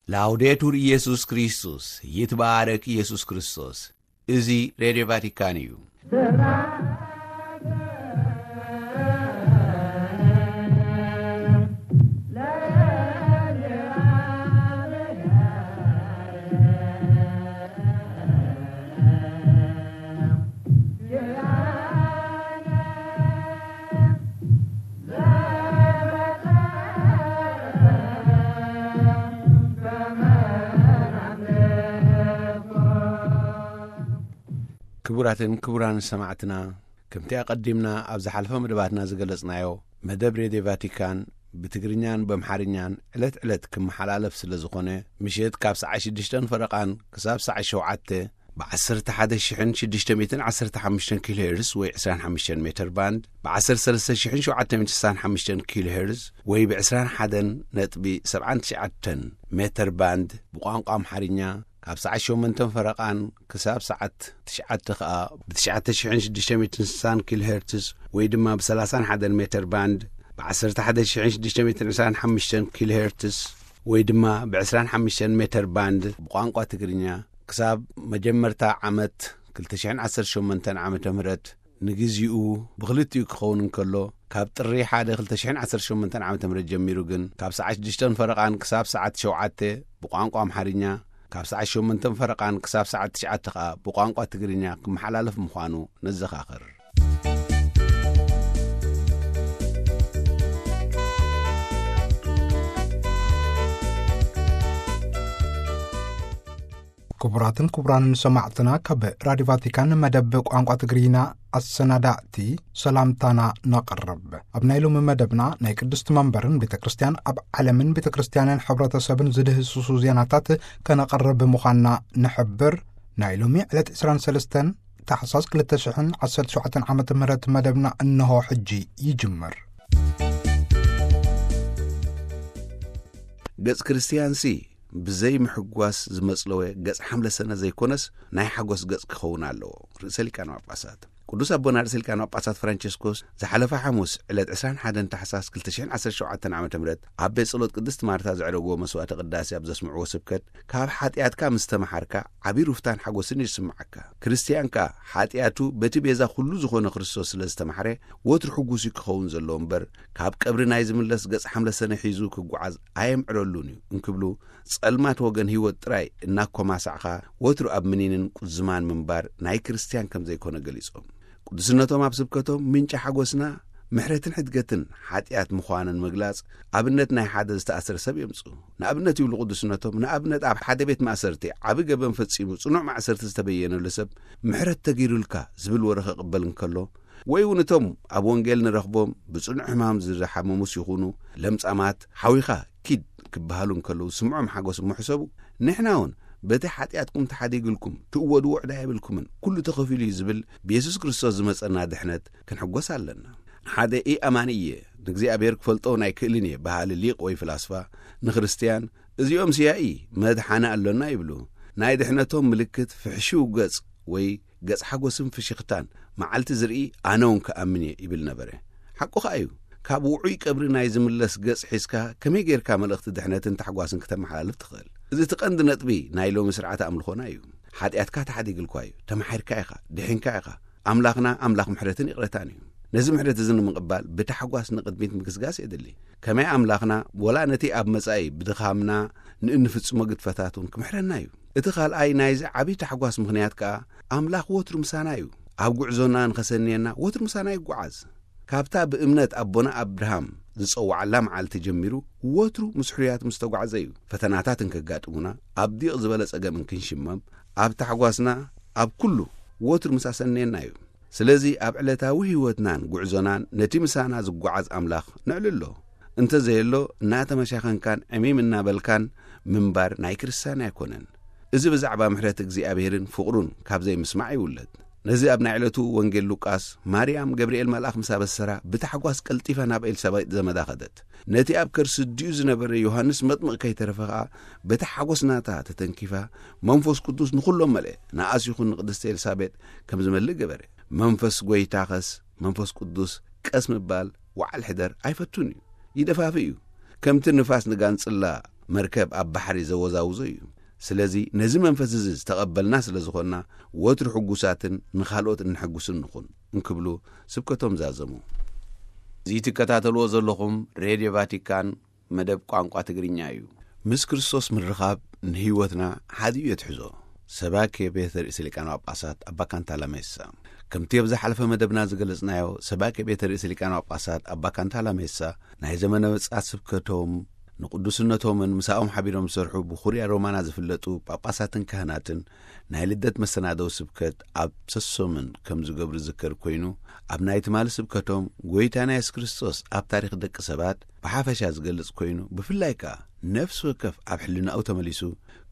ላውዴቱር ኢየሱስ ክርስቶስ፣ ይትባረክ ኢየሱስ ክርስቶስ። እዚ ሬድዮ ቫቲካን እዩ። ክቡራትን ክቡራን ሰማዕትና፣ ከምቲ ኣቐዲምና ኣብ ዝሓለፈ መደባትና ዝገለጽናዮ፣ መደብ ሬድዮ ቫቲካን ብትግርኛን በምሓርኛን ዕለት ዕለት ክመሓላለፍ ስለ ዝኾነ፣ ምሸት ካብ ሰዓት ሽዱሽተን ፈረቓን ክሳብ ሰዓት ሸውዓተ ብ11,615 ኪሎ ሄርዝ ወይ ዕስራን ሓሙሽተን ሜተር ባንድ፣ ብ13,765 ኪሎ ሄርዝ ወይ ብ21.79 ሜተር ባንድ ብቋንቋ ኣምሓርኛ፣ ካብ ሰዓት ሸሞንተን ፈረቓን ክሳብ ሰዓት ትሽዓተ ከኣ ብ9,660 ኪሎ ሄርትዝ ወይ ድማ ብ31 ሜተር ባንድ፣ ብ11,625 ኪሎ ሄርትዝ ወይ ድማ ብ25 ሜተር ባንድ ብቋንቋ ትግርኛ፣ ክሳብ መጀመርታ ዓመት ክልተ ሽሕን ዓሰርተ ሸሞንተን ዓመተ ምህረት ንግዚኡ ብኽልቲኡ ክኸውን እንከሎ፣ ካብ ጥሪ ሓደ ክልተ ሽሕን ዓሰርተ ሸሞንተን ዓመተ ምህረት ጀሚሩ ግን፣ ካብ ሰዓት ሽዱሽተን ፈረቓን ክሳብ ሰዓት ሸውዓተ ብቋንቋ ኣምሓርኛ፣ ካብ ሰዓት ሸሞንተን ፈረቓን ክሳብ ሰዓት ትሽዓተ ከኣ ብቋንቋ ትግርኛ ክመሓላለፍ ምዃኑ ነዘኻኽር። ክቡራትን ክቡራንን ሰማዕትና፣ ካብ ራዲዮ ቫቲካን መደብ ቋንቋ ትግርኛ ኣሰናዳእቲ ሰላምታና ነቕርብ። ኣብ ናይ ሎሚ መደብና፣ ናይ ቅድስቲ መንበርን ቤተ ክርስቲያን ኣብ ዓለምን ቤተ ክርስቲያንን ሕብረተሰብን ዝድህስሱ ዜናታት ከነቕርብ ምዃንና ንሕብር። ናይ ሎሚ ዕለት ዕስራን ሰለስተን ታሕሳስ ክልተ ሽሕን ዓሰርተ ሸውዓተን ዓመተ ምህረት መደብና እንሆ ሕጂ ይጅምር። ገጽ ክርስትያንሲ ብዘይ ምሕጓስ ዝመጽለወ ገጽ ሓምለ ሰነ ዘይኮነስ፣ ናይ ሓጎስ ገጽ ክኸውን ኣለዎ። ርእሰ ሊቃነ ጳጳሳት ቅዱስ ኣቦና ርእሰ ሊቃነ ጳጳሳት ፍራንቸስኮስ ዝሓለፈ ሓሙስ ዕለት ዕስራን ሓደን ታሕሳስ ክልተ ሽሕን ዓሰርተ ሸውዓተን ዓመተ ምህረት ኣብ ቤት ጸሎት ቅድስት ማርታ ዘዕረግዎ መስዋዕተ ቅዳሴ ኣብ ዘስምዕዎ ስብከት፣ ካብ ሓጢኣትካ ምስ ተመሓርካ ዓቢ ሩፍታን ሓጎስን እዩ ዝስምዓካ። ክርስትያን ከኣ ሓጢኣቱ በቲ ቤዛ ኩሉ ዝኾነ ክርስቶስ ስለ ዝተማሕረ፣ ወትሩ ሕጉስ እዩ ክኸውን ዘለዎ እምበር፣ ካብ ቀብሪ ናይ ዝምለስ ገጽ ሓምለ ሰነ ሒዙ ክጓዓዝ ኣየምዕረሉን እዩ እንክብሉ፣ ጸልማት ወገን ህይወት ጥራይ እናኮማሳዕኻ ወትሩ ኣብ ምኒንን ቁዝማን ምንባር ናይ ክርስትያን ከም ዘይኮነ ገሊጾም። ቅዱስነቶም ኣብ ስብከቶም፣ ምንጪ ሓጎስና ምሕረትን ሕድገትን ሓጢኣት ምዃንን ምግላጽ፣ ኣብነት ናይ ሓደ ዝተኣስረ ሰብ የምጽኡ። ንኣብነት ይብሉ ቅዱስነቶም፣ ንኣብነት ኣብ ሓደ ቤት ማእሰርቲ ዓቢ ገበን ፈጺሙ ጽኑዕ ማእሰርቲ ዝተበየነሉ ሰብ፣ ምሕረት ተገይሩልካ ዝብል ወረ ክቕበል እንከሎ፣ ወይ እውን እቶም ኣብ ወንጌል ንረኽቦም ብጽኑዕ ሕማም ዝሓመሙስ ይኹኑ ለምጻማት፣ ሓዊኻ ኪድ ክበሃሉ እንከለዉ ዝስምዖም ሓጎስ እሞ ሕሰቡ። ንሕና እውን በቲ ሓጢኣትኩም ተሓዲግልኩም ትእወድዎ ዕዳ የብልኩምን፣ ኩሉ ተኸፊሉ እዩ ዝብል ብየሱስ ክርስቶስ ዝመጸና ድሕነት ክንሕጎስ ኣለና። ሓደ ኢኣማኒ እየ፣ ንእግዚኣብሔር ክፈልጦ እውን ኣይክእልን እየ በሃሊ ሊቅ ወይ ፍላስፋ ንክርስትያን፣ እዚኦም ስያኢ መድሓኒ ኣሎና ይብሉ። ናይ ድሕነቶም ምልክት ፍሕሽው ገጽ ወይ ገጽ ሓጎስን ፍሽኽታን መዓልቲ ዝርኢ ኣነ እውን ክኣምን እየ ይብል ነበረ። ሓቁ ኸኣ እዩ። ካብ ውዑይ ቀብሪ ናይ ዝምለስ ገጽ ሒዝካ ከመይ ጌርካ መልእኽቲ ድሕነትን ታሕጓስን ክተመሓላልፍ ትኽእል? እዚ እቲ ቀንዲ ነጥቢ ናይ ሎሚ ስርዓተ ኣምልኾና እዩ። ሓጢኣትካ ተሓዲግልኳ እዩ፣ ተማሒርካ ኢኻ፣ ድሒንካ ኢኻ። ኣምላኽና ኣምላኽ ምሕረትን ይቕረታን እዩ። ነዚ ምሕረት እዚ ንምቕባል ብታሕጓስ ንቕድሚት ምግስጋስ የድሊ። ከመይ ኣምላኽና ወላ ነቲ ኣብ መጻኢ ብድኻምና ንእንፍጽሞ ግድፈታት እውን ክምሕረና እዩ። እቲ ካልኣይ ናይዚ ዓቢ ታሕጓስ ምኽንያት ከኣ፣ ኣምላኽ ወትሩ ምሳና እዩ። ኣብ ጉዕዞና ንኸሰንየና ወትሩ ምሳና ይጓዓዝ። ካብታ ብእምነት ኣቦና ኣብርሃም ዝጸውዓላ መዓልቲ ጀሚሩ፣ ወትሩ ምስ ሕሩያት ምስ ተጓዕዘ እዩ። ፈተናታት እንከጋጥሙና፣ ኣብ ዲቕ ዝበለ ጸገም እንክንሽመም፣ ኣብ ታሕጓስና፣ ኣብ ኩሉ ወትሩ ምስ ኣሰንየና እዩ። ስለዚ ኣብ ዕለታዊ ህይወትናን ጉዕዞናን ነቲ ምሳና ዝጓዓዝ ኣምላኽ ነዕልሎ። እንተ ዘየሎ፣ እናተመሻኸንካን ዕሚም እናበልካን ምንባር ናይ ክርስትያን ኣይኮነን። እዚ ብዛዕባ ምሕረት እግዚኣብሔርን ፍቕሩን ካብ ዘይምስማዕ ይውለድ። ነዚ ኣብ ናይ ዕለቱ ወንጌል ሉቃስ፣ ማርያም ገብርኤል መልኣኽ ምስ ኣበሰራ፣ ብታሕጓስ ቀልጢፋ ናብ ኤልሳቤጥ ዘመዳ ኸደት። ነቲ ኣብ ከርሲ ኣዲኡ ዝነበረ ዮሃንስ መጥምቕ ከይተረፈ ኸኣ፣ በቲ ሓጎስ ናታ ተተንኪፋ፣ መንፈስ ቅዱስ ንኹሎም መልአ። ንኣስ ይኹን ንቅድስቲ ኤልሳቤጥ ከም ዝመልእ ገበረ። መንፈስ ጐይታኸስ፣ መንፈስ ቅዱስ ቀስ ምባል፣ ወዓል ሕደር ኣይፈቱን እዩ። ይደፋፍእ እዩ። ከምቲ ንፋስ ንጋንጽላ መርከብ ኣብ ባሕሪ ዘወዛውዞ እዩ። ስለዚ ነዚ መንፈስ እዚ ዝተቐበልና ስለ ዝኾንና፣ ወትሩ ሕጉሳትን ንኻልኦት እነሐጉስን ንኹን እንክብሉ ስብከቶም ዛዘሙ። እዚ ትከታተልዎ ዘለኹም ሬድዮ ቫቲካን መደብ ቋንቋ ትግርኛ እዩ። ምስ ክርስቶስ ምርኻብ ንህይወትና ሓዲኡ የትሕዞ። ሰባኬ ቤተ ርእሰ ሊቃነ ጳጳሳት ኣባ ካንታላ ሜሳ። ከምቲ ኣብ ዝሓለፈ መደብና ዝገለጽናዮ፣ ሰባኬ ቤተ ርእሰ ሊቃነ ጳጳሳት ኣባ ካንታላ ሜሳ ናይ ዘመነ ምጽኣት ስብከቶም ንቅዱስነቶምን ምሳኦም ሓቢሮም ዝሰርሑ ብኩርያ ሮማና ዝፍለጡ ጳጳሳትን ካህናትን ናይ ልደት መሰናደዊ ስብከት ኣብ ሰሶምን ከም ዝገብሩ ዝዝከር ኮይኑ፣ ኣብ ናይ ትማሊ ስብከቶም ጎይታና የሱስ ክርስቶስ ኣብ ታሪኽ ደቂ ሰባት ብሓፈሻ ዝገልጽ ኮይኑ፣ ብፍላይ ከኣ ነፍሲ ወከፍ ኣብ ሕልናኡ ተመሊሱ፣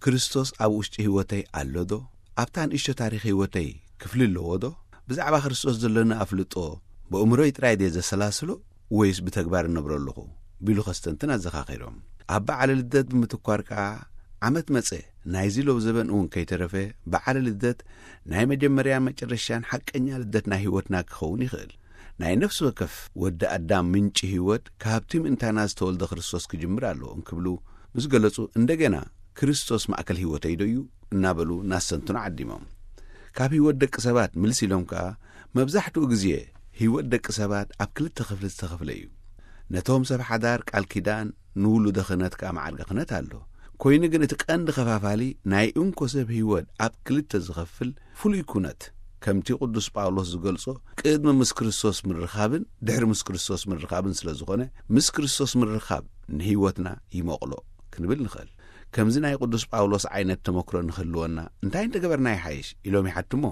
ክርስቶስ ኣብ ውሽጢ ህይወተይ ኣሎ ዶ? ኣብታ ንእሽቶ ታሪኽ ህይወተይ ክፍሊ ኣለዎ ዶ? ብዛዕባ ክርስቶስ ዘለኒ ኣፍልጦ ብእምሮይ ጥራይ ድየ ዘሰላስሎ ወይስ ብተግባር እነብሮ ኣለኹ? ቢሉ ከስተንትን ኣዘኻኺሮም። ኣብ በዓለ ልደት ብምትኳር ከኣ ዓመት መጸ፣ ናይዚ ሎብ ዘበን እውን ከይተረፈ በዓለ ልደት ናይ መጀመርያን መጨረሻን ሓቀኛ ልደት ናይ ህይወትና ክኸውን ይኽእል። ናይ ነፍሲ ወከፍ ወዲ ኣዳም ምንጪ ህይወት ካብቲ ምእንታና ዝተወልደ ክርስቶስ ክጅምር ኣለዎ እንክብሉ ምስ ገለጹ፣ እንደገና ክርስቶስ ማእከል ህይወተይ ዶ እዩ እናበሉ ናሰንትኑ ዓዲሞም። ካብ ህይወት ደቂ ሰባት ምልስ ኢሎም ከኣ መብዛሕትኡ ግዜ ህይወት ደቂ ሰባት ኣብ ክልተ ክፍሊ ዝተኸፍለ እዩ። ነቶም ሰብ ሓዳር ቃል ኪዳን ንውሉደ ክህነት ከኣ መዓርገ ክህነት ኣሎ። ኮይኑ ግን እቲ ቀንዲ ከፋፋሊ ናይ እንኮ ሰብ ህይወት ኣብ ክልተ ዝኸፍል ፍሉይ ኩነት፣ ከምቲ ቅዱስ ጳውሎስ ዝገልጾ ቅድሚ ምስ ክርስቶስ ምርኻብን ድሕሪ ምስ ክርስቶስ ምርኻብን ስለ ዝኾነ፣ ምስ ክርስቶስ ምርኻብ ንህይወትና ይመቕሎ ክንብል ንኽእል። ከምዚ ናይ ቅዱስ ጳውሎስ ዓይነት ተመክሮ ንክህልወና እንታይ እንተገበርና ይሓይሽ ኢሎም ይሓትሞ።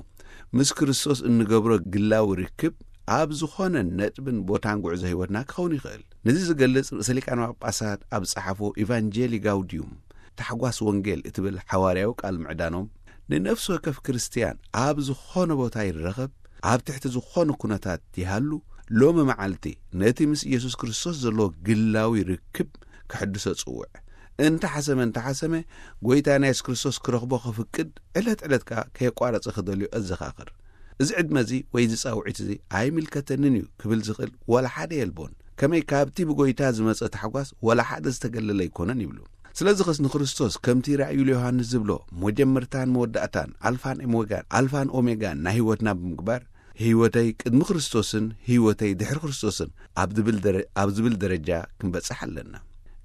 ምስ ክርስቶስ እንገብሮ ግላዊ ርክብ ኣብ ዝኾነ ነጥብን ቦታን ጉዕዞ ህይወትና ክኸውን ይኽእል። ነዚ ዝገልጽ ርእሰ ሊቃነ ጳጳሳት ኣብ ጸሓፎ ኢቫንጀሊ ጋውዲዩም፣ ታሕጓስ ወንጌል እትብል ሓዋርያዊ ቃል ምዕዳኖም፣ ንነፍሲ ወከፍ ክርስትያን ኣብ ዝኾነ ቦታ ይረኸብ፣ ኣብ ትሕቲ ዝኾነ ኩነታት ይሃሉ፣ ሎሚ መዓልቲ ነቲ ምስ ኢየሱስ ክርስቶስ ዘለዎ ግላዊ ርክብ ክሕድሶ ጽውዕ። እንተሓሰመ እንተሓሰመ፣ ጎይታና የሱስ ክርስቶስ ክረኽቦ ክፍቅድ፣ ዕለት ዕለት ከኣ ከየቋረጸ ክደልዮ ኣዘኻኽር። እዚ ዕድመ እዚ ወይ እዚ ጻውዒት እዚ ኣይምልከተንን እዩ ክብል ዝኽእል ዋላ ሓደ የልቦን። ከመይ ካብቲ ብጎይታ ዝመጸ ታሕጓስ ዋላ ሓደ ዝተገለለ ኣይኮነን ይብሉ። ስለዚ ኸስ ንክርስቶስ ከምቲ ራእዩ ዮሃንስ ዝብሎ መጀመርታን መወዳእታን ኣልፋን ኦሜጋን፣ ኣልፋን ኦሜጋን ናይ ህይወትና ብምግባር፣ ህይወተይ ቅድሚ ክርስቶስን ህይወተይ ድሕሪ ክርስቶስን ኣብ ዝብል ደረ-፣ ኣብ ዝብል ደረጃ ክንበጽሕ ኣለና።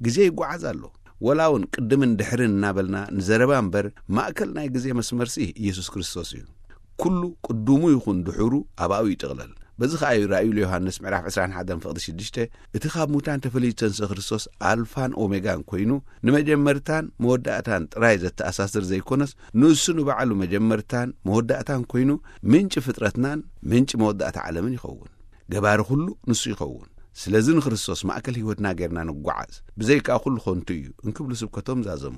ግዜ ይጓዓዝ ኣሎ። ወላ እውን ቅድምን ድሕርን እናበልና ንዘረባ እምበር፣ ማእከል ናይ ግዜ መስመርሲ ኢየሱስ ክርስቶስ እዩ። ኩሉ ቅድሙ ይኹን ድሕሩ ኣባኡ ይጥቕለል። በዚ ኸኣ እዩ ራእዩ ዮሃንስ ምዕራፍ ዕስራን ሓደን ፍቕዲ ሽዱሽተ፣ እቲ ካብ ሙታን ተፈልዩ ዝተንስአ ክርስቶስ ኣልፋን ኦሜጋን ኮይኑ፣ ንመጀመርታን መወዳእታን ጥራይ ዘተኣሳስር ዘይኮነስ፣ ንሱ ንባዕሉ መጀመርታን መወዳእታን ኮይኑ፣ ምንጪ ፍጥረትናን ምንጪ መወዳእታ ዓለምን ይኸውን። ገባሪ ኩሉ ንሱ ይኸውን። ስለዚ ንክርስቶስ ማእከል ህይወትና ጌርና ንጓዓዝ፣ ብዘይካ ኩሉ ኾንቱ እዩ እንክብሉ ስብከቶም ዛዘሙ።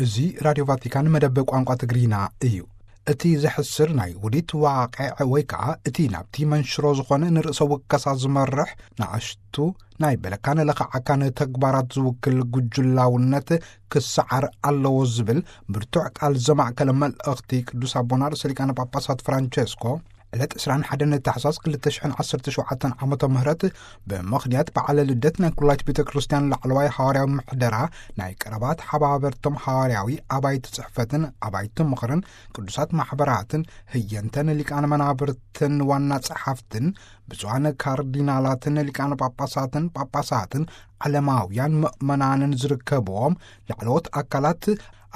እዚ ራድዮ ቫቲካን መደብ ቋንቋ ትግርኛ እዩ። እቲ ዘሕስር ናይ ውዲት ዋቕዕ ወይ ከዓ እቲ ናብቲ መንሽሮ ዝኾነ ንርእሰ ውከሳ ዝመርሕ ንኣሽቱ ናይ በለካን ለኸዓካን ተግባራት ዝውክል ጉጅላውነት ክሰዓር ኣለዎ ዝብል ብርቱዕ ቃል ዘማእከለ መልእኽቲ ቅዱስ ኣቦና ርእሰ ሊቃነ ጳጳሳት ፍራንቸስኮ ዕለት ዕስራን ሓደን ታሕሳስ ክልተ ሽሕን ዓሰርተ ሸውዓተን ዓመተ ምህረት ብምኽንያት በዓለ ልደት ናይ ኩላይት ቤተ ክርስቲያን ላዕለዋይ ሃዋርያዊ ምሕደራ ናይ ቀረባ ተሓባበርቶም ሃዋርያዊ ኣባይቲ ጽሕፈትን ኣባይቲ ምኽርን ቅዱሳት ማሕበራትን ህየንተን ሊቃነ መናብርትን ዋና ጸሓፍትን ብፁዓን ካርዲናላትን ሊቃነ ጳጳሳትን ጳጳሳትን ዓለማውያን ምእመናንን ዝርከብዎም ላዕለዎት ኣካላት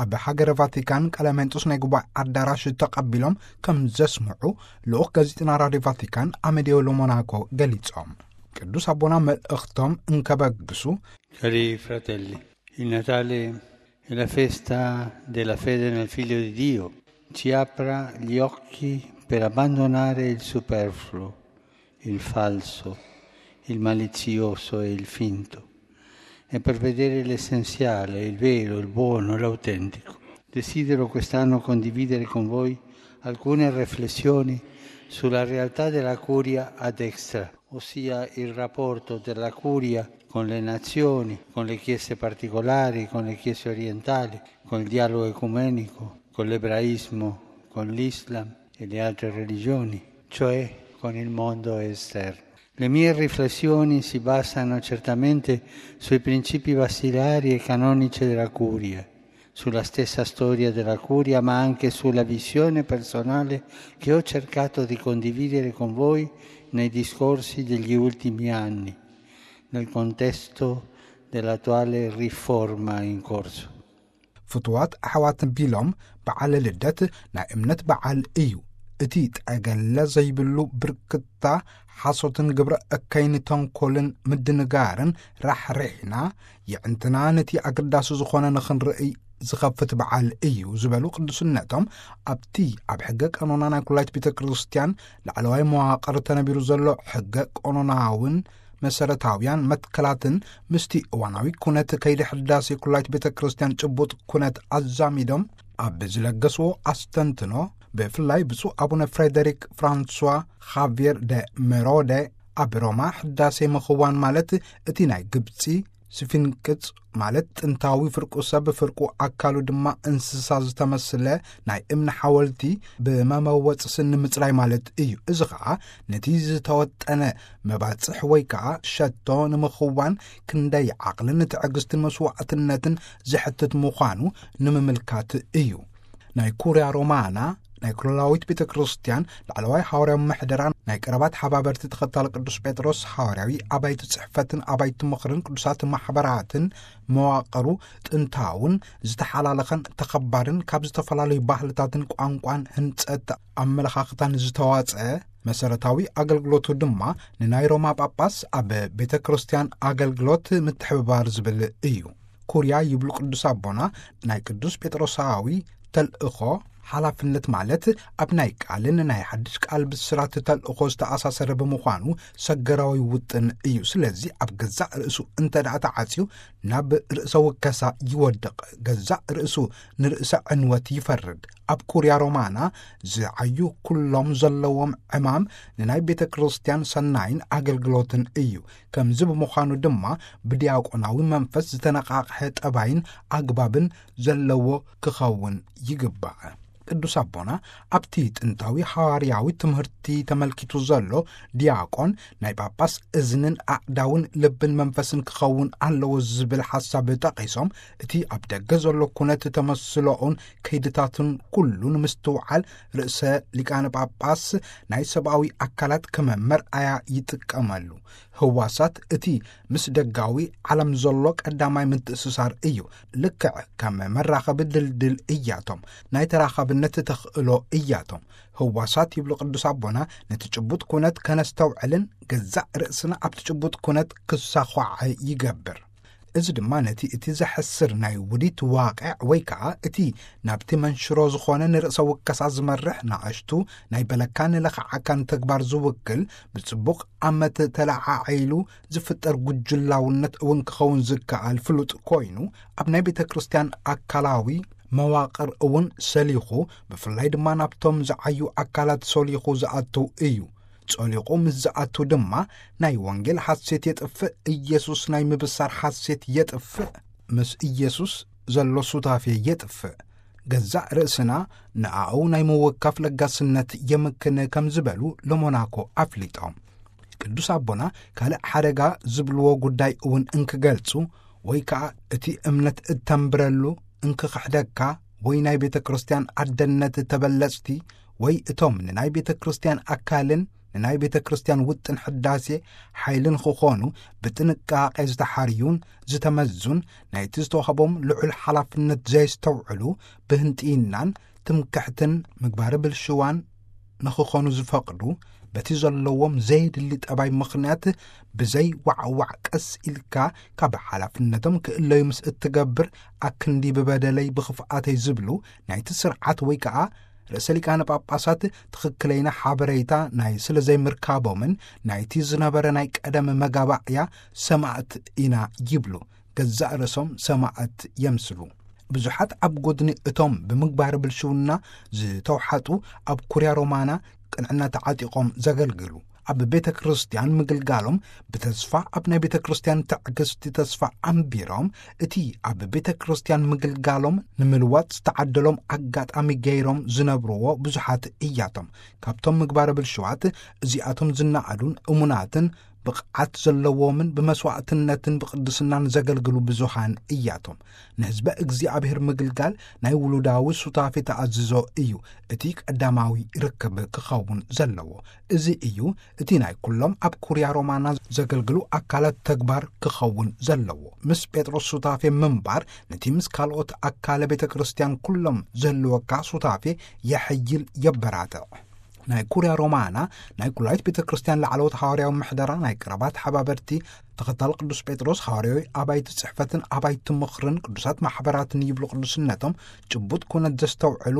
ኣብ ሃገረ ቫቲካን ቀለሜንጦስ ናይ ጉባኤ ኣዳራሽ ተቐቢሎም ከም ዘስምዑ ልኡኽ ጋዜጠና ራድዮ ቫቲካን ኣመዲዮ ሎሞናኮ ገሊጾም። ቅዱስ ኣቦና መልእኽቶም እንከበግሱ፣ Cari fratelli, il Natale è la festa della fede nel Figlio di Dio. Ci apra gli occhi per abbandonare il superfluo, il falso, il malizioso e il finto, e per vedere l'essenziale, il vero, il buono, l'autentico. Desidero quest'anno condividere con voi alcune riflessioni sulla realtà della curia ad extra, ossia il rapporto della curia con le nazioni, con le chiese particolari, con le chiese orientali, con il dialogo ecumenico, con l'ebraismo, con l'Islam e le altre religioni, cioè con il mondo esterno. Le mie riflessioni si basano certamente sui principi basilari e canonici della Curia, sulla stessa storia della Curia, ma anche sulla visione personale che ho cercato di condividere con voi nei discorsi degli ultimi anni, nel contesto dell'attuale riforma in corso. ፍትዋት ኣሕዋት ቢሎም በዓል ልደት ናይ እምነት በዓል እዩ። እቲ ጠገለ ዘይብሉ ብርክታ ሓሶትን ግብረ እከይን ተንኮልን ምድንጋርን ራሕሪሕና የዕንትና ነቲ ኣገዳሲ ዝኾነ ንኽንርእይ ዝኸፍት በዓል እዩ ዝበሉ ቅዱስነቶም፣ ኣብቲ ኣብ ሕገ ቀኖና ናይ ኩላይት ቤተ ክርስቲያን ላዕለዋይ መዋቕር ተነቢሩ ዘሎ ሕገ ቀኖናውን መሰረታውያን መትከላትን ምስቲ እዋናዊ ኩነት ከይዲ ሕዳሴ ኩላይት ቤተ ክርስቲያን ጭቡጥ ኩነት ኣዛሚዶም ኣብ ዝለገስዎ ኣስተንትኖ፣ ብፍላይ ብፁዕ ኣቡነ ፍሬደሪክ ፍራንሷ ኻቪየር ደ ሜሮደ ኣብ ሮማ ሕዳሴ ምኽዋን ማለት እቲ ናይ ግብፂ ስፊንቅጽ ማለት ጥንታዊ ፍርቁ ሰብ ፍርቁ ኣካሉ ድማ እንስሳ ዝተመስለ ናይ እምኒ ሓወልቲ ብመመወፂ ስኒ ምፅራይ ማለት እዩ። እዚ ኸዓ ነቲ ዝተወጠነ መባፅሕ ወይ ከዓ ሸቶ ንምኽዋን ክንደይ ዓቕልን ትዕግስትን መስዋዕትነትን ዘሕትት ምዃኑ ንምምልካት እዩ። ናይ ኩርያ ሮማና ናይ ኩላዊት ቤተ ክርስቲያን ላዕለዋይ ሓዋርያዊ ምሕደራ ናይ ቀረባት ሓባበርቲ ተኸታሊ ቅዱስ ጴጥሮስ ሓዋርያዊ ኣባይቲ ጽሕፈትን ኣባይቲ ምኽርን ቅዱሳት ማሕበራትን መዋቕሩ ጥንታውን ዝተሓላለኸን ተኸባርን ካብ ዝተፈላለዩ ባህልታትን ቋንቋን ህንጸት ኣመለኻኽታን ዝተዋጸ መሰረታዊ ኣገልግሎቱ ድማ ንናይ ሮማ ጳጳስ ኣብ ቤተ ክርስቲያን ኣገልግሎት ምትሕብባር ዝብል እዩ። ኩርያ ይብሉ ቅዱስ ኣቦና ናይ ቅዱስ ጴጥሮሳዊ ተልእኾ ሓላፍነት ማለት ኣብ ናይ ቃልን ናይ ሓድሽ ቃል ብስራት ተልእኾ ዝተኣሳሰረ ብምዃኑ ሰገራዊ ውጥን እዩ። ስለዚ ኣብ ገዛእ ርእሱ እንተ ደኣ ተዓጽዩ ናብ ርእሰ ውከሳ ይወድቕ፣ ገዛእ ርእሱ ንርእሰ ዕንወት ይፈርድ። ኣብ ኩርያ ሮማና ዝዓዩ ኩሎም ዘለዎም ዕማም ንናይ ቤተ ክርስቲያን ሰናይን ኣገልግሎትን እዩ። ከምዚ ብምዃኑ ድማ ብዲያቆናዊ መንፈስ ዝተነቓቕሐ ጠባይን ኣግባብን ዘለዎ ክኸውን ይግባእ። ቅዱስ ኣቦና ኣብቲ ጥንታዊ ሃዋርያዊ ትምህርቲ ተመልኪቱ ዘሎ ዲያቆን ናይ ጳጳስ እዝንን ኣእዳውን ልብን መንፈስን ክኸውን ኣለዎ ዝብል ሓሳብ ጠቒሶም፣ እቲ ኣብ ደገ ዘሎ ኩነት ተመስሎኡን ከይድታቱን ኩሉ ንምስትውዓል ርእሰ ሊቃነ ጳጳስ ናይ ሰብኣዊ ኣካላት ከም መርኣያ ይጥቀመሉ። ህዋሳት እቲ ምስ ደጋዊ ዓለም ዘሎ ቀዳማይ ምትእስሳር እዩ። ልክዕ ከም መራኸቢ ድልድል እያቶም። ናይ ተራኻብነት ተኽእሎ እያቶም። ህዋሳት ይብሉ ቅዱስ ኣቦና ነቲ ጭቡጥ ኩነት ከነስተውዕልን ገዛእ ርእስና ኣብቲ ጭቡጥ ኩነት ክሳዃዐ ይገብር። እዚ ድማ ነቲ እቲ ዘሕስር ናይ ውዲት ዋቕዕ ወይ ከዓ እቲ ናብቲ መንሽሮ ዝኾነ ንርእሰ ውከሳ ዝመርሕ ንኣሽቱ ናይ በለካ ንለኽዓካ ንተግባር ዝውክል ብጽቡቕ ኣመት ተለዓዒሉ ዝፍጠር ጉጅላውነት እውን ክኸውን ዝከኣል ፍሉጥ ኮይኑ፣ ኣብ ናይ ቤተ ክርስቲያን ኣካላዊ መዋቕር እውን ሰሊኹ፣ ብፍላይ ድማ ናብቶም ዝዓዩ ኣካላት ሰሊኹ ዝኣቱ እዩ። ጸሊቑ ምስ ዝኣቱ ድማ ናይ ወንጌል ሓሴት የጥፍእ፣ ኢየሱስ ናይ ምብሳር ሓሴት የጥፍእ። ምስ ኢየሱስ ዘሎ ሱታፌ የጥፍእ። ገዛእ ርእስና ንኣኡ ናይ ምውካፍ ለጋስነት የምክን ከም ዝበሉ ለሞናኮ ኣፍሊጦም። ቅዱስ ኣቦና ካልእ ሓደጋ ዝብልዎ ጉዳይ እውን እንክገልጹ፣ ወይ ከኣ እቲ እምነት እተንብረሉ እንክኽሕደካ፣ ወይ ናይ ቤተ ክርስቲያን ኣደነት ተበለጽቲ፣ ወይ እቶም ንናይ ቤተ ክርስቲያን ኣካልን ንናይ ቤተ ክርስቲያን ውጥን ሕዳሴ ሓይልን ክኾኑ ብጥንቃቄ ዝተሓርዩን ዝተመዙን፣ ናይቲ ዝተዋህቦም ልዑል ሓላፍነት ዘየስተውዕሉ፣ ብህንጥይናን ትምክሕትን ምግባረ ብልሽዋን ንኽኾኑ ዝፈቕዱ፣ በቲ ዘለዎም ዘየድሊ ጠባይ ምኽንያት ብዘይ ዋዕዋዕ ቀስ ኢልካ ካብ ሓላፍነቶም ክእለዩ ምስ እትገብር፣ ኣክንዲ ብበደለይ ብኽፍኣተይ ዝብሉ ናይቲ ስርዓት ወይ ከኣ ርእሰ ሊቃነ ጳጳሳት ትኽክለይና ሓበሬታ ናይ ስለ ዘይምርካቦምን ናይቲ ዝነበረ ናይ ቀደም መጋባእያ ሰማእት ኢና ይብሉ። ገዛእ ርእሶም ሰማእት የምስሉ። ብዙሓት ኣብ ጎድኒ እቶም ብምግባር ብልሽውና ዝተውሓጡ ኣብ ኩርያ ሮማና ቅንዕና ተዓጢቖም ዘገልግሉ፣ ኣብ ቤተ ክርስቲያን ምግልጋሎም ብተስፋ፣ ኣብ ናይ ቤተ ክርስቲያን ትዕግስቲ ተስፋ ኣንቢሮም፣ እቲ ኣብ ቤተ ክርስቲያን ምግልጋሎም ንምልዋጥ ዝተዓደሎም ኣጋጣሚ ገይሮም ዝነብርዎ ብዙሓት እያቶም። ካብቶም ምግባረ ብልሽዋት እዚኣቶም ዝነኣዱን እሙናትን ብቕዓት ዘለዎምን ብመስዋዕትነትን ብቕድስናን ዘገልግሉ ብዙሃን እያቶም። ንህዝበ እግዚኣብሔር ምግልጋል ናይ ውሉዳዊ ሱታፌ ተኣዝዞ እዩ። እቲ ቀዳማዊ ርክብ ክኸውን ዘለዎ እዚ እዩ። እቲ ናይ ኩሎም ኣብ ኩርያ ሮማና ዘገልግሉ ኣካላት ተግባር ክኸውን ዘለዎ። ምስ ጴጥሮስ ሱታፌ ምንባር ነቲ ምስ ካልኦት ኣካለ ቤተ ክርስቲያን ኩሎም ዝህልወካ ሱታፌ የሐይል፣ የበራትዕ። ናይ ኩርያ ሮማና ናይ ኩላይት ቤተ ክርስቲያን ላዕለዎት ሃዋርያዊ ምሕደራ ናይ ቀረባት ሓባበርቲ ተኸታል ቅዱስ ጴጥሮስ ሃዋርያዊ ኣባይቲ ጽሕፈትን ኣባይቲ ምኽርን ቅዱሳት ማሕበራትን ይብሉ ቅዱስነቶም ጭቡጥ ኩነት ዘስተውዕሉ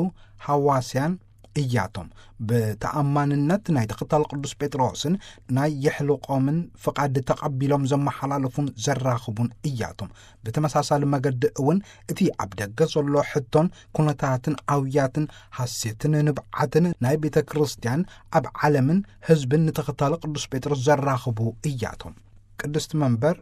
ሃዋስያን እያቶም። ብተኣማንነት ናይ ተኸታል ቅዱስ ጴጥሮስን ናይ የሕልቆምን ፍቓድ ተቐቢሎም ዘመሓላለፉን ዘራኽቡን እያቶም። ብተመሳሳሊ መገዲ እውን እቲ ኣብ ደገ ዘሎ ሕቶን ኩነታትን ኣውያትን ሃሴትን ንብዓትን ናይ ቤተ ክርስቲያን ኣብ ዓለምን ህዝብን ንተኸታሊ ቅዱስ ጴጥሮስ ዘራኽቡ እያቶም። ቅድስቲ መንበር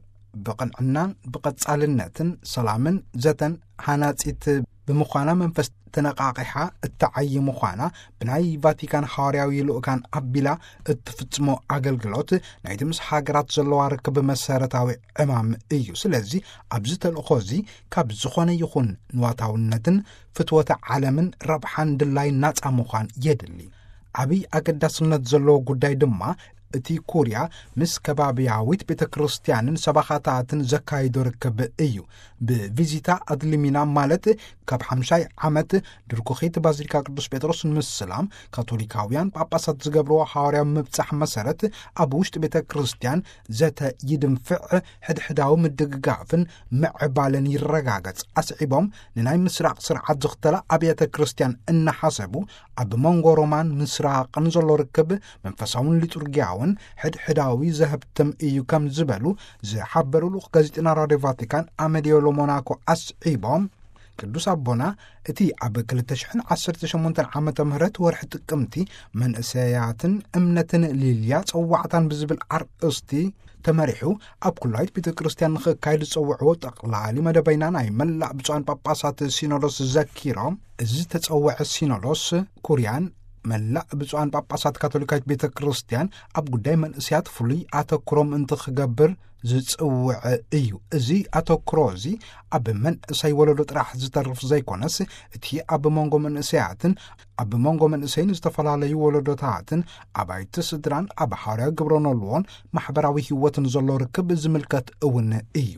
ብቕንዕናን ብቐጻልነትን ሰላምን ዘተን ሃናጺት ብምዃና መንፈስ ተነቓቒሓ እተዓዪ ምዃና ብናይ ቫቲካን ሃዋርያዊ ልኡካን ኣቢላ እትፍጽሞ ኣገልግሎት ናይቲ ምስ ሃገራት ዘለዋ ርክብ መሰረታዊ ዕማም እዩ። ስለዚ ኣብዚ ተልእኾ እዚ ካብ ዝኾነ ይኹን ንዋታውነትን ፍትወተ ዓለምን ረብሓን ድላይ ናጻ ምዃን የድሊ። ዓብይ ኣገዳስነት ዘለዎ ጉዳይ ድማ እቲ ኩርያ ምስ ከባብያዊት ቤተ ክርስቲያንን ሰባኻታትን ዘካይዶ ርክብ እዩ። ብቪዚታ ኣድሊሚና ማለት ካብ ሓምሻይ ዓመት ድርኩኺት ባዚሊካ ቅዱስ ጴጥሮስ ንምስላም ካቶሊካውያን ጳጳሳት ዝገብርዎ ሃዋርያዊ ምብጻሕ መሰረት ኣብ ውሽጢ ቤተ ክርስቲያን ዘተ ይድንፍዕ፣ ሕድሕዳዊ ምድግጋፍን ምዕባለን ይረጋገጽ። ኣስዒቦም ንናይ ምስራቕ ስርዓት ዝኽተላ ኣብያተ ክርስቲያን እናሓሰቡ ኣብ መንጎ ሮማን ምስራቕን ዘሎ ርክብ መንፈሳውን ሊጡርጊያውን ሕድሕዳዊ ዘህብትም እዩ ከም ዝበሉ ዝሓበሩ ልኡኽ ጋዜጠና ራድዮ ቫቲካን ኣመዲዮ ሎሞናኮ ኣስዒቦም ቅዱስ ኣቦና እቲ ኣብ ክልተ ሽሕን ዓሰርተ ሸሞንተን ዓመተ ምህረት ወርሒ ጥቅምቲ መንእሰያትን እምነትን ሊልያ ጸዋዕታን ብዝብል ኣርእስቲ ተመሪሑ ኣብ ኩላይት ቤተ ክርስቲያን ንኽካየድ ዝጸውዕዎ ጠቕላሊ መደበይና ናይ መላእ ብፁዓን ጳጳሳት ሲኖዶስ ዘኪሮም፣ እዚ ተጸውዐ ሲኖዶስ ኩርያን መላእ ብፁዓን ጳጳሳት ካቶሊካዊት ቤተ ክርስቲያን ኣብ ጉዳይ መንእሰያት ፍሉይ ኣተኩሮ ምእንቲ ክገብር ዝጽውዐ እዩ። እዚ ኣተኩሮ እዚ ኣብ መንእሰይ ወለዶ ጥራሕ ዝተርፍ ዘይኮነስ፣ እቲ ኣብ መንጎ መንእሰያትን ኣብ መንጎ መንእሰይን ዝተፈላለዩ ወለዶታትን ኣባይቲ ስድራን ኣብ ሓዋርያዊ ግብረ ኖልዎን ማሕበራዊ ህይወትን ዘሎ ርክብ ዝምልከት እውን እዩ።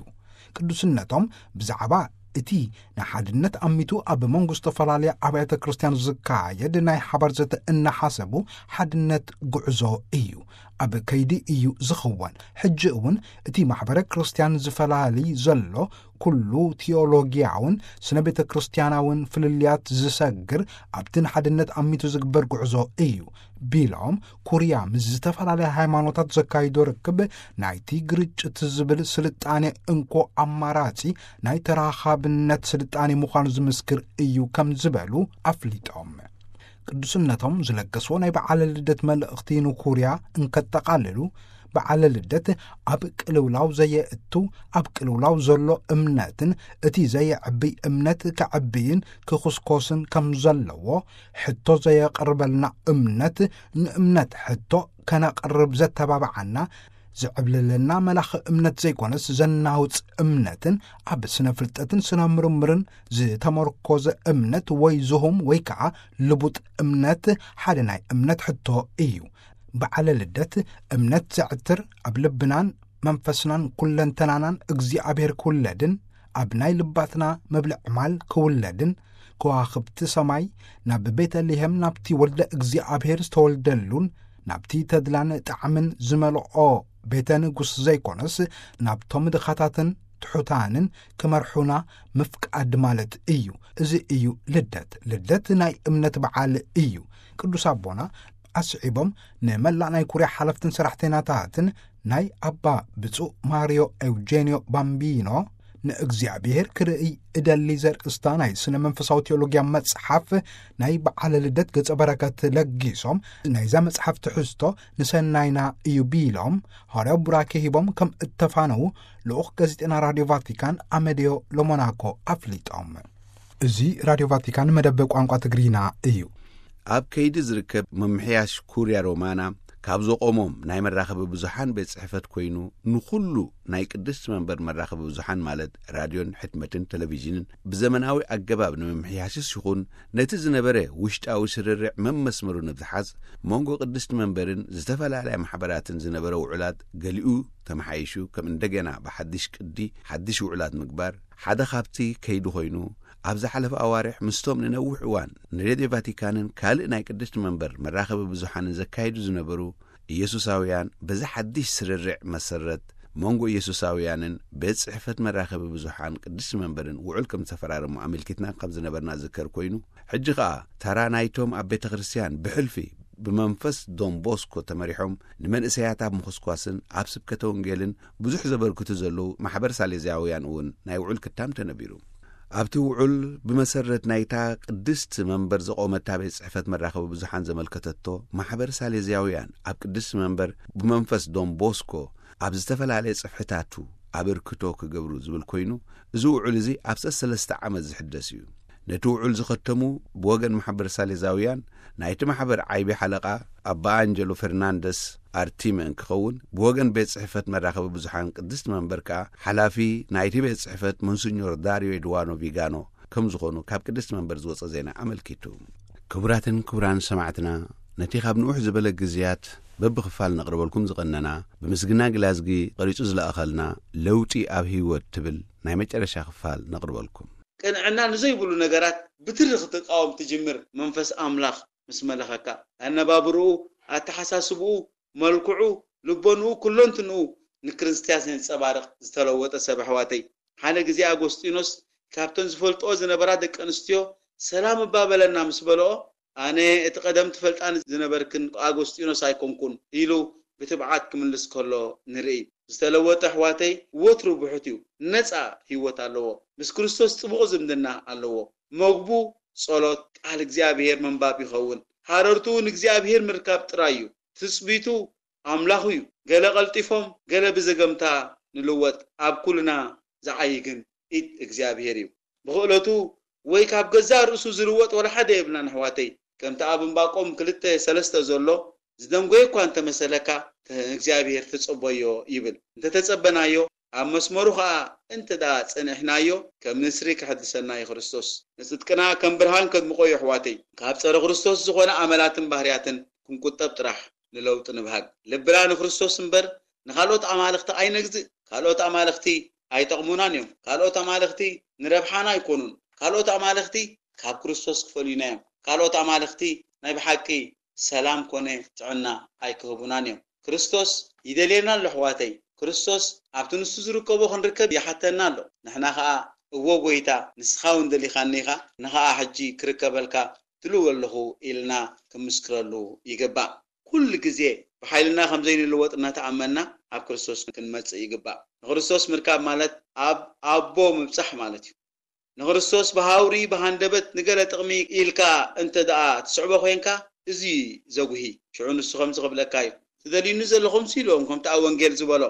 ቅዱስነቶም ብዛዕባ እቲ ንሓድነት ኣሚቱ ኣብ መንጎ ዝተፈላለያ ኣብያተ ክርስቲያን ዝካየድ ናይ ሓባር ዘተ እናሓሰቡ፣ ሓድነት ጉዕዞ እዩ፣ ኣብ ከይዲ እዩ ዝኽወን። ሕጂ እውን እቲ ማሕበረ ክርስቲያን ዝፈላሊ ዘሎ ኩሉ ቲዮሎጊያውን ስነ ቤተ ክርስቲያናውን ፍልልያት ዝሰግር ኣብቲ ንሓድነት ኣሚቱ ዝግበር ጉዕዞ እዩ ቢሎም፣ ኩርያ ምስ ዝተፈላለያ ሃይማኖታት ዘካይዶ ርክብ ናይቲ ግርጭት ዝብል ስልጣኔ እንኮ ኣማራጺ ናይ ተራኻብነት ስልጣኔ ምዃኑ ዝምስክር እዩ ከም ዝበሉ ኣፍሊጦም። ቅዱስነቶም ዝለገስዎ ናይ በዓለ ልደት መልእኽቲ ንኩርያ እንከጠቓልሉ፣ በዓለ ልደት ኣብ ቅልውላው ዘየእቱ፣ ኣብ ቅልውላው ዘሎ እምነትን እቲ ዘየዕብይ እምነት ከዕብይን ክኹስኮስን ከም ዘለዎ፣ ሕቶ ዘየቕርበልና እምነት ንእምነት ሕቶ ከነቕርብ ዘተባብዓና፣ ዝዕብልለና መላኺ እምነት ዘይኮነስ ዘናውጽ እምነትን ኣብ ስነ ፍልጠትን ስነ ምርምርን ዝተመርኮዘ እምነት ወይ ዝሁም ወይ ከኣ ልቡጥ እምነት ሓደ ናይ እምነት ሕቶ እዩ። በዓለ ልደት እምነት ዘዕትር፣ ኣብ ልብናን መንፈስናን ኩለንተናናን እግዚኣብሔር ክውለድን ኣብ ናይ ልባትና መብልዕ ማል ክውለድን፣ ከዋኽብቲ ሰማይ ናብ ቤተልሔም ናብቲ ወልደ እግዚኣብሔር ዝተወልደሉን ናብቲ ተድላን ጣዕምን ዝመልኦ ቤተ ንጉስ ዘይኮነስ፣ ናብቶም ድኻታትን ትሑታንን ክመርሑና ምፍቃድ ማለት እዩ። እዚ እዩ ልደት። ልደት ናይ እምነት በዓል እዩ። ቅዱስ ኣቦና ኣስዒቦም ንመላእ ናይ ኩርያ ሓለፍትን ሰራሕተኛታትን ናይ ኣባ ብፁዕ ማሪዮ ኤውጄንዮ ባምቢኖ ንእግዚኣብሔር ክርእይ እደሊ ዘርእስታ ናይ ስነ መንፈሳዊ ቴዎሎጊያ መጽሓፍ ናይ በዓለ ልደት ገጸ በረከት ለጊሶም፣ ናይዛ መጽሓፍ ትሕዝቶ ንሰናይና እዩ ቢሎም፣ ሃዋርያዊ ቡራኬ ሂቦም ከም እተፋነዉ ልኡኽ ጋዜጠና ራድዮ ቫቲካን ኣመድዮ ሎሞናኮ ኣፍሊጦም። እዚ ራድዮ ቫቲካን መደብ ቋንቋ ትግርኛ እዩ። ኣብ ከይዲ ዝርከብ ምምሕያሽ ኩርያ ሮማና ካብ ዘቆሞም ናይ መራኸቢ ብዙሓን ቤት ጽሕፈት ኮይኑ፣ ንኹሉ ናይ ቅድስቲ መንበር መራኸቢ ብዙሓን ማለት ራድዮን ሕትመትን ቴሌቪዥንን ብዘመናዊ ኣገባብ ንምምሕያሽስ ይኹን፣ ነቲ ዝነበረ ውሽጣዊ ስርርዕ መመስመሩ ንምትሓዝ፣ መንጎ ቅድስቲ መንበርን ዝተፈላለያ ማሕበራትን ዝነበረ ውዕላት ገሊኡ ተመሓይሹ፣ ከም እንደገና ብሓድሽ ቅዲ ሓድሽ ውዕላት ምግባር ሓደ ካብቲ ከይዲ ኮይኑ፣ ኣብ ዝሓለፈ ኣዋርሕ ምስቶም ንነዊሕ እዋን ንሬድዮ ቫቲካንን ካልእ ናይ ቅድስቲ መንበር መራኸቢ ብዙሓንን ዘካይዱ ዝነበሩ ኢየሱሳውያን፣ በዚ ሓድሽ ስርርዕ መሰረት መንጎ ኢየሱሳውያንን ቤት ጽሕፈት መራኸቢ ብዙሓን ቅድስቲ መንበርን ውዑል ከም ዝተፈራረሙ ኣመልኪትና ከም ዝነበርና ዝከር ኮይኑ፣ ሕጂ ኸኣ ተራ ናይቶም ኣብ ቤተ ክርስቲያን ብሕልፊ ብመንፈስ ዶን ቦስኮ ተመሪሖም ንመንእሰያት ኣብ ምኹስኳስን ኣብ ስብከተ ወንጌልን ብዙሕ ዘበርክቱ ዘለዉ ማሕበር ሳሌዝያውያን እውን ናይ ውዑል ክታም ተነቢሩ። ኣብቲ ውዑል ብመሰረት ናይታ ቅድስቲ መንበር ዘቆመታ ቤት ጽሕፈት መራኸቢ ብዙሓን ዘመልከተቶ፣ ማሕበር ሳሌዝያውያን ኣብ ቅድስቲ መንበር ብመንፈስ ዶን ቦስኮ ኣብ ዝተፈላለየ ጽፍሕታቱ ኣበርክቶ ክገብሩ ዝብል ኮይኑ፣ እዚ ውዑል እዚ ኣብ ሰለስተ ዓመት ዝሕደስ እዩ። ነቲ ውዑል ዝኸተሙ ብወገን ማሕበር ሳሌዛውያን ናይቲ ማሕበር ዓይቢ ሓለቓ ኣባ ኣንጀሎ ፈርናንደስ ኣርቲመ እንክኸውን፣ ብወገን ቤት ጽሕፈት መራኸቢ ብዙሓን ቅድስቲ መንበር ከኣ ሓላፊ ናይቲ ቤት ጽሕፈት ሞንሲኞር ዳርዮ ኤድዋኖ ቪጋኖ ከም ዝኾኑ ካብ ቅድስቲ መንበር ዝወጸ ዜና ኣመልኪቱ። ክቡራትን ክቡራን ሰማዕትና፣ ነቲ ካብ ንውሕ ዝበለ ግዜያት በብኽፋል ነቕርበልኩም ዝቐነና፣ ብምስግና ግላዝጊ ቐሪጹ ዝለኣኸልና ለውጢ ኣብ ህይወት ትብል ናይ መጨረሻ ክፋል ነቕርበልኩም። ቅንዕና ንዘይብሉ ነገራት ብትሪ ክትቃወም ትጅምር። መንፈስ ኣምላኽ ምስ መለኸካ፣ ኣነባብርኡ፣ ኣተሓሳስብኡ፣ መልክዑ፣ ልቦንኡ፣ ኩለንትንኡ ንክርስትያስ ዘንጸባርቕ ዝተለወጠ ሰብ ኣሕዋተይ። ሓደ ግዜ ኣጎስጢኖስ ካብተን ዝፈልጥኦ ዝነበራ ደቂ ኣንስትዮ ሰላም እባ በለና ምስ በልኦ፣ ኣነ እቲ ቀደም ትፈልጣኒ ዝነበርክን ኣጎስጢኖስ ኣይኮንኩን ኢሉ ብትብዓት ክምልስ ከሎ ንርኢ። ዝተለወጠ ኣሕዋተይ ወትሩ ብሑት እዩ። ነጻ ህይወት ኣለዎ። ምስ ክርስቶስ ጥቡቕ ዝምድና ኣለዎ። መግቡ ጸሎት፣ ቃል እግዚኣብሔር ምንባብ ይኸውን። ሃረርትኡ ንእግዚኣብሔር ምርካብ ጥራይ እዩ። ትጽቢቱ ኣምላኹ እዩ። ገለ ቀልጢፎም፣ ገለ ብዘገምታ ንልወጥ፣ ኣብ ኩልና ዝዓዪ ግን ኢድ እግዚኣብሔር እዩ። ብኽእለቱ ወይ ካብ ገዛእ ርእሱ ዝልወጥ ወላ ሓደ የብልናን ኣሕዋተይ። ከምቲ ኣብ እምባቆም ክልተ ሰለስተ ዘሎ፣ ዝደንጎየ እኳ እንተመሰለካ፣ ንእግዚኣብሔር ተጸበዮ ይብል። እንተተጸበናዮ፣ ኣብ መስመሩ ኸኣ እንተ ደኣ ጸኒሕናዮ፣ ከም ንስሪ ክሕድሰና እዩ ክርስቶስ። ንጽድቅና ከም ብርሃን ከድምቖ እዩ ኣሕዋተይ። ካብ ጸረ ክርስቶስ ዝኾነ ኣመላትን ባህርያትን ክንቁጠብ ጥራሕ ንለውጢ ንብሃግ። ልብና ንክርስቶስ እምበር ንኻልኦት ኣማልኽቲ ኣይነግዝእ። ካልኦት ኣማልኽቲ ኣይጠቕሙናን እዮም። ካልኦት ኣማልኽቲ ንረብሓና ኣይኮኑን። ካልኦት ኣማልኽቲ ካብ ክርስቶስ ክፈልዩና እዮም። ካልኦት ኣማልኽቲ ናይ ብሓቂ ሰላም ኮነ ጥዕና ኣይክህቡናን እዮም። ክርስቶስ ይደልየና ኣሎ ኣሕዋተይ። ክርስቶስ ኣብቲ ንሱ ዝርከቦ ክንርከብ ይሓተና ኣሎ። ንሕና ኸኣ እወ ጐይታ፣ ንስኻ እውን ደሊኻኒ ኢኻ፣ ንኸኣ ሕጂ ክርከበልካ ድልው ኣለኹ ኢልና ክምስክረሉ ይግባእ። ኩሉ ግዜ ብሓይልና ከም ዘይንልወጥ እናተኣመና ኣብ ክርስቶስ ክንመጽእ ይግባእ። ንክርስቶስ ምርካብ ማለት ኣብ ኣቦ ምብጻሕ ማለት እዩ። ንክርስቶስ ብሃውሪ ብሃንደበት ንገለ ጥቕሚ ኢልካ እንተ ደኣ ትስዕቦ ኮይንካ፣ እዚ ዘጉሂ። ሽዑ ንሱ ከምዚ ክብለካ እዩ፣ "ትደልዩኒ ዘለኹም" ኢልዎም፣ ከምቲ ኣብ ወንጌል ዝበሎ፣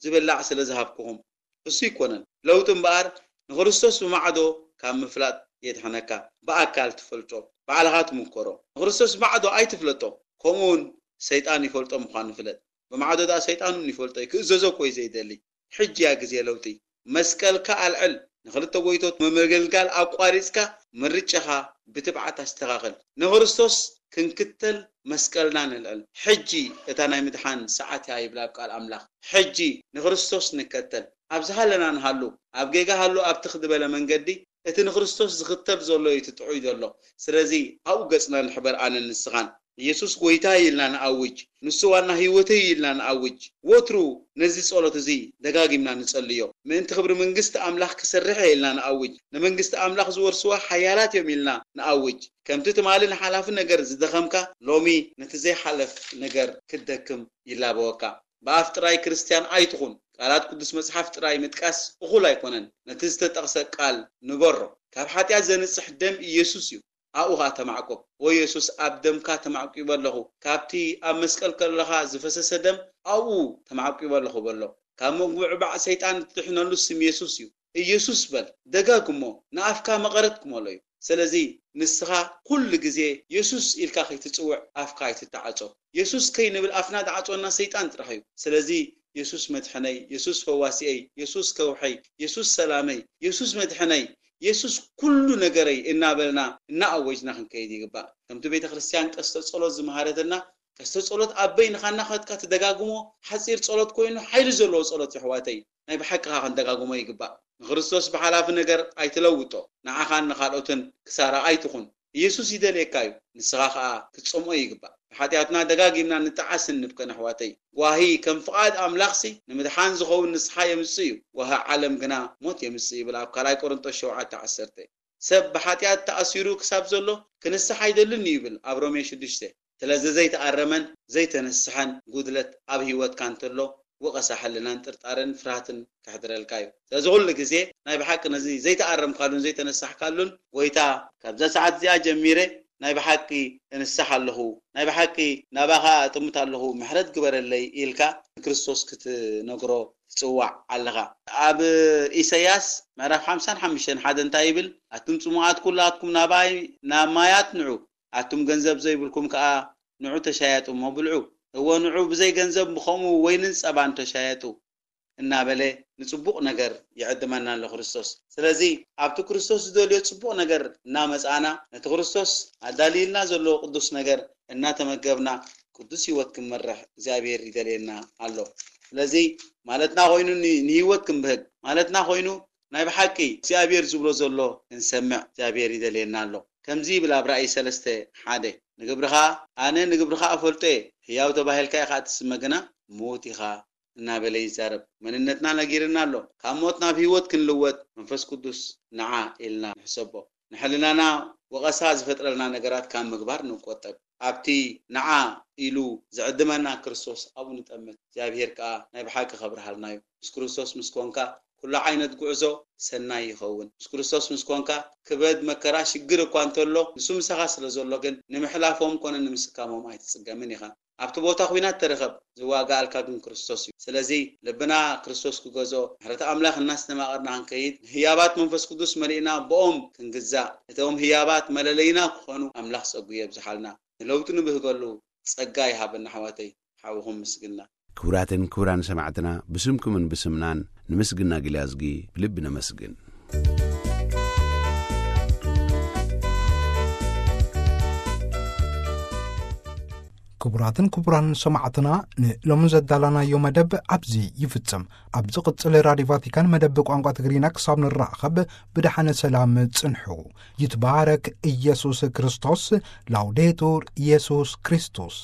"ዝብላዕ ስለ ዝሃብኩኹም እሱ ኣይኮነን። ለውጢ እምበኣር ንክርስቶስ ብማዕዶ ካብ ምፍላጥ የድሕነካ። ብኣካል ትፈልጦ፣ ባዕልኻ ትምከሮ። ንክርስቶስ ብማዕዶ ኣይትፍለጦ፣ ከምኡውን ሰይጣን ይፈልጦ ምዃኑ ፍለጥ። ብማዕዶ ደኣ ሰይጣን እውን ይፈልጦ እዩ፣ ክእዘዞ እኮ እዩ ዘይደሊ። ሕጂ እያ ግዜ ለውጢ። መስቀልካ ኣልዕል። ንክልተ ጎይቶት መመገልጋል ኣቋሪጽካ ምርጫኻ ብትብዓት ኣስተኻኽል። ንክርስቶስ ክንክተል መስቀልና ንልዕል። ሕጂ እታ ናይ ምድሓን ሰዓት እያ ይብል ኣብ ቃል ኣምላኽ። ሕጂ ንክርስቶስ ንከተል። ኣብ ዝሃለና ንሃሉ፣ ኣብ ጌጋ ሃሉ ኣብ ትኽ ዝበለ መንገዲ እቲ ንክርስቶስ ዝኽተል ዘሎ እዩ እቲ ጥዑይ ዘሎ። ስለዚ ኣብኡ ገጽና ንሕበር ኣነን ንስኻን። ኢየሱስ ጐይታ ኢልና ንኣውጅ። ንሱ ዋና ህይወተይ ኢልና ንኣውጅ። ወትሩ ነዚ ጸሎት እዚ ደጋጊምና ንጸልዮ። ምእንቲ ክብሪ መንግስቲ ኣምላኽ ክሰርሕ እየ ኢልና ንኣውጅ። ንመንግስቲ ኣምላኽ ዝወርስዋ ሓያላት እዮም ኢልና ንኣውጅ። ከምቲ ትማሊ ንሓላፊ ነገር ዝደኸምካ፣ ሎሚ ነቲ ዘይሓለፍ ነገር ክትደክም ይላበወካ። ብኣፍ ጥራይ ክርስትያን ኣይትኹን፣ ቃላት ቅዱስ መጽሓፍ ጥራይ ምጥቃስ እኹል ኣይኮነን። ነቲ ዝተጠቕሰ ቃል ንበሮ። ካብ ሓጢኣት ዘንጽሕ ደም ኢየሱስ እዩ። ኣብኡ ኸኣ ተማዕቆብ። "ወየሱስ፣ ኣብ ደምካ ተማዕቂበ ኣለኹ። ካብቲ ኣብ መስቀል ከለኻ ዝፈሰሰ ደም ኣብኡ ተማዕቂበ ኣለኹ" በሎ። ካብ ምጉብዕባዕ ሰይጣን እትድሕነሉ ስም የሱስ እዩ። "ኢየሱስ" በል። ደጋግሞ። ንኣፍካ መቐረት ክመሎ እዩ። ስለዚ ንስኻ ኩሉ ግዜ የሱስ ኢልካ ከይትጽውዕ ኣፍካ ኣይትተዓጾ። የሱስ ከይንብል ኣፍና ዝዓጾና ሰይጣን ጥራሕ እዩ። ስለዚ "የሱስ መድሕነይ፣ የሱስ ፈዋሲየይ፣ የሱስ ከውሐይ፣ የሱስ ሰላመይ፣ የሱስ መድሕነይ፣ የሱስ ኩሉ ነገረይ" እናበልና እናኣወጅና ክንከይድ ይግባእ። ከምቲ ቤተ ክርስቲያን ቀስተ ጸሎት ዝመሃረትና፣ ቀስተ ጸሎት ኣብ በይንኻ እናኸድካ ትደጋግሞ ሓጺር ጸሎት ኮይኑ ሓይሊ ዘለዎ ጸሎት የሕዋተይ። ናይ ብሓቂ ኸኣ ክንደጋግሞ ይግባእ። ንክርስቶስ ብሓላፊ ነገር ኣይትለውጦ። ንዓኻን ንኻልኦትን ክሳራ ኣይትኹን። ኢየሱስ ይደልየካ እዩ። ንስኻ ኸኣ ክትጸምኦ ይግባእ። ብሓጢኣትና ደጋጊምና ንጠዓስን ንብከን ኣሕዋተይ። ጓሂ ከም ፍቓድ ኣምላኽሲ ንምድሓን ዝኸውን ንስሓ የምጽእ እዩ። ጓሂ ዓለም ግና ሞት የምጽእ ይብል ኣብ ካልኣይ ቆሮንቶስ ሸውዓተ ዓሰርተ። ሰብ ብሓጢኣት ተኣሲሩ ክሳብ ዘሎ ክንስሕ ኣይደልን እዩ ይብል ኣብ ሮሜ ሽዱሽተ። ስለዚ ዘይተኣረመን ዘይተነስሐን ጉድለት ኣብ ህይወትካ እንተሎ፣ ወቐሳ ሕልናን ጥርጣረን ፍርሃትን ከሕድረልካ እዩ። ስለዚ ኩሉ ግዜ ናይ ብሓቂ ነዚ ዘይተኣረምካሉን ዘይተነሳሕካሉን፣ "ጎይታ፣ ካብዛ ሰዓት እዚኣ ጀሚረ ናይ ብሓቂ እንስሕ ኣለኹ፣ ናይ ብሓቂ ናባኻ እጥምት ኣለኹ፣ ምሕረት ግበረለይ" ኢልካ ንክርስቶስ ክትነግሮ ትጽዋዕ ኣለኻ። ኣብ ኢሳይያስ ምዕራፍ ሓምሳን ሓሙሽተን ሓደ እንታይ ይብል? "ኣቱም ጽሙኣት ኩላትኩም ናባይ ናብ ማያት ንዑ፣ ኣቱም ገንዘብ ዘይብልኩም ከኣ ንዑ ተሻየጡ እሞ ብልዑ። እወ ንዑ ብዘይ ገንዘብ ብኸምኡ ወይንን ጸባን ተሻየጡ" እናበለ ንጽቡቕ ነገር ይዕድመና ኣሎ ክርስቶስ። ስለዚ ኣብቲ ክርስቶስ ዝደልዮ ጽቡቕ ነገር እናመጻእና፣ ነቲ ክርስቶስ ኣዳልይልና ዘለዎ ቅዱስ ነገር እናተመገብና፣ ቅዱስ ህይወት ክንመርሕ እግዚኣብሔር ይደልየና ኣሎ። ስለዚ ማለትና ኮይኑ ን-፣ ንህይወት ክንብህግ ማለትና ኮይኑ፣ ናይ ብሓቂ እግዚኣብሔር ዝብሎ ዘሎ ክንሰምዕ እግዚኣብሔር ይደልየና ኣሎ። ከምዚ ይብል ኣብ ራእይ ሰለስተ ሓደ፣ "ንግብርኻ ኣነ ንግብርኻ እፈልጦ እየ፣ ህያው ተባሂልካ ኢኻ እትስመ ግና ምዉት ኢኻ" እናበለ ይዛረብ። መንነትና ነጊርና ኣሎ። ካብ ሞት ናብ ህይወት ክንልወጥ መንፈስ ቅዱስ ንዓ ኢልና ንሕሰቦ። ንሕልናና ወቐሳ ዝፈጥረልና ነገራት ካብ ምግባር ንቆጠብ። ኣብቲ ንዓ ኢሉ ዝዕድመና ክርስቶስ ኣብኡ ንጠምት። እግዚኣብሔር ከኣ ናይ ብሓቂ ከብርሃልና እዩ። ምስ ክርስቶስ ምስ ኮንካ ኩሉ ዓይነት ጉዕዞ ሰናይ ይኸውን። ምስ ክርስቶስ ምስ ኮንካ ክበድ፣ መከራ፣ ሽግር እኳ እንተሎ፣ ንሱ ምሳኻ ስለ ዘሎ ግን ንምሕላፎም ኮነ ንምስካሞም ኣይትጽገምን ኢኻ። ኣብቲ ቦታ ኲናት ተረኸብ፣ ዝዋጋኣልካ ግን ክርስቶስ እዩ። ስለዚ ልብና ክርስቶስ ክገዝኦ፣ ምሕረት ኣምላኽ እናስተማቐርና ክንከይድ፣ ንህያባት መንፈስ ቅዱስ መሊእና ብኦም ክንግዛእ፣ እቶም ህያባት መለለይና ክኾኑ ኣምላኽ ጸጉ የብዝሓልና። ንለውጢ ንብህገሉ ጸጋ ይሃበና ኣሕዋተይ። ሓውኹም ምስግና። ክቡራትን ክቡራን ሰማዕትና፣ ብስምኩምን ብስምናን ንምስግና ግልያዝጊ ብልቢ ነመስግን። ክቡራትን ክቡራን ሰማዕትና፣ ንሎሚ ዘዳላናዮ መደብ ኣብዚ ይፍጸም። ኣብ ዝቕጽል ራድዮ ቫቲካን መደብ ቋንቋ ትግርኛ ክሳብ ንራኸብ ብደሓነ ሰላም ጽንሑ። ይትባረክ ኢየሱስ ክርስቶስ። ላውዴቱር ኢየሱስ ክርስቶስ።